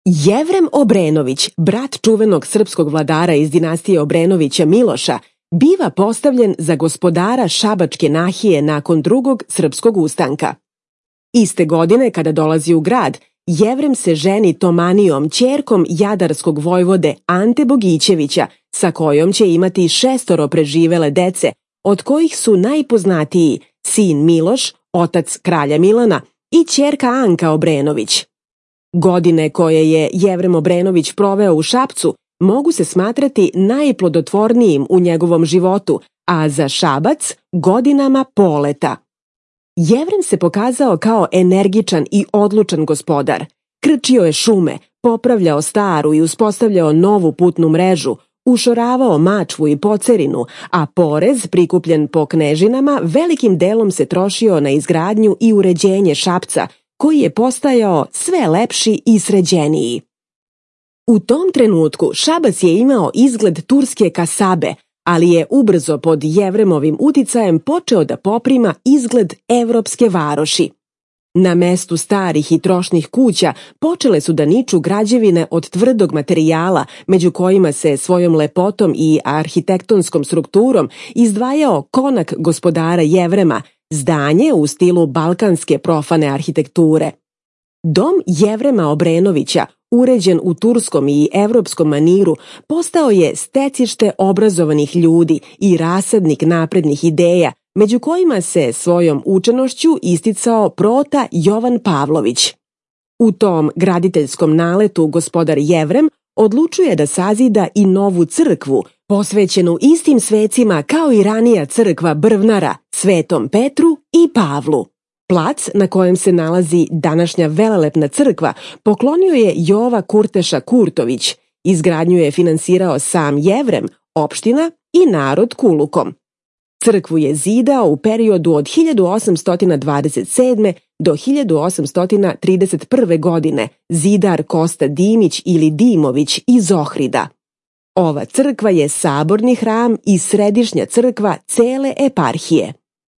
Jevrem Obrenović, brat čuvenog srpskog vladara iz dinastije Obrenovića Miloša, biva postavljen za gospodara Šabačke nahije nakon drugog srpskog ustanka. Iste godine, kada dolazi u grad, Jevrem se ženi Tomanijom, ćerkom jadarskog vojvode Ante Bogićevića, sa kojom će imati 6 preživele dece, od kojih su najpoznatiji sin Miloš, otac kralja Milana, i ćerka Anka Obrenović. Godine koje je Jevrem Obrenović proveo u Šapcu mogu se smatrati najplodotvornijim u njegovom životu, a za Šabac godinama poleta. Jevrem se pokazao kao energičan i odlučan gospodar. Krčio je šume, popravljao staru i uspostavljao novu putnu mrežu, ušoravao Mačvu i Pocerinu, a porez prikupljen po knežinama velikim delom se trošio na izgradnju i uređenje Šapca, koji je postajao sve lepši i sređeniji. U tom trenutku Šabac je imao izgled turske kasabe, ali je ubrzo pod Jevremovim uticajem počeo da poprima izgled evropske varoši. Na mestu starih i trošnih kuća počele su da niču građevine od tvrdog materijala, među kojima se svojom lepotom i arhitektonskom strukturom izdvajao konak gospodara Jevrema, zdanje u stilu balkanske profane arhitekture. Dom Jevrema Obrenovića, uređen u turskom i evropskom maniru, postao je stecište obrazovanih ljudi i rasadnik naprednih ideja, među kojima se svojom učenošću isticao prota Jovan Pavlović. U tom graditeljskom naletu gospodar Jevrem odlučuje da sazida i novu crkvu, posvećenu istim svecima kao i ranija crkva Brvnara, Svetom Petru i Pavlu. Plac na kojem se nalazi današnja velelepna crkva poklonio je Jova Kurteša Kurtović, izgradnju je finansirao sam Jevrem, opština i narod kulukom. Crkvu je zidao u periodu od 1827. do 1831. godine zidar Kosta Dimić ili Dimović iz Ohrida. Ova crkva je saborni hram i središnja crkva cele eparhije.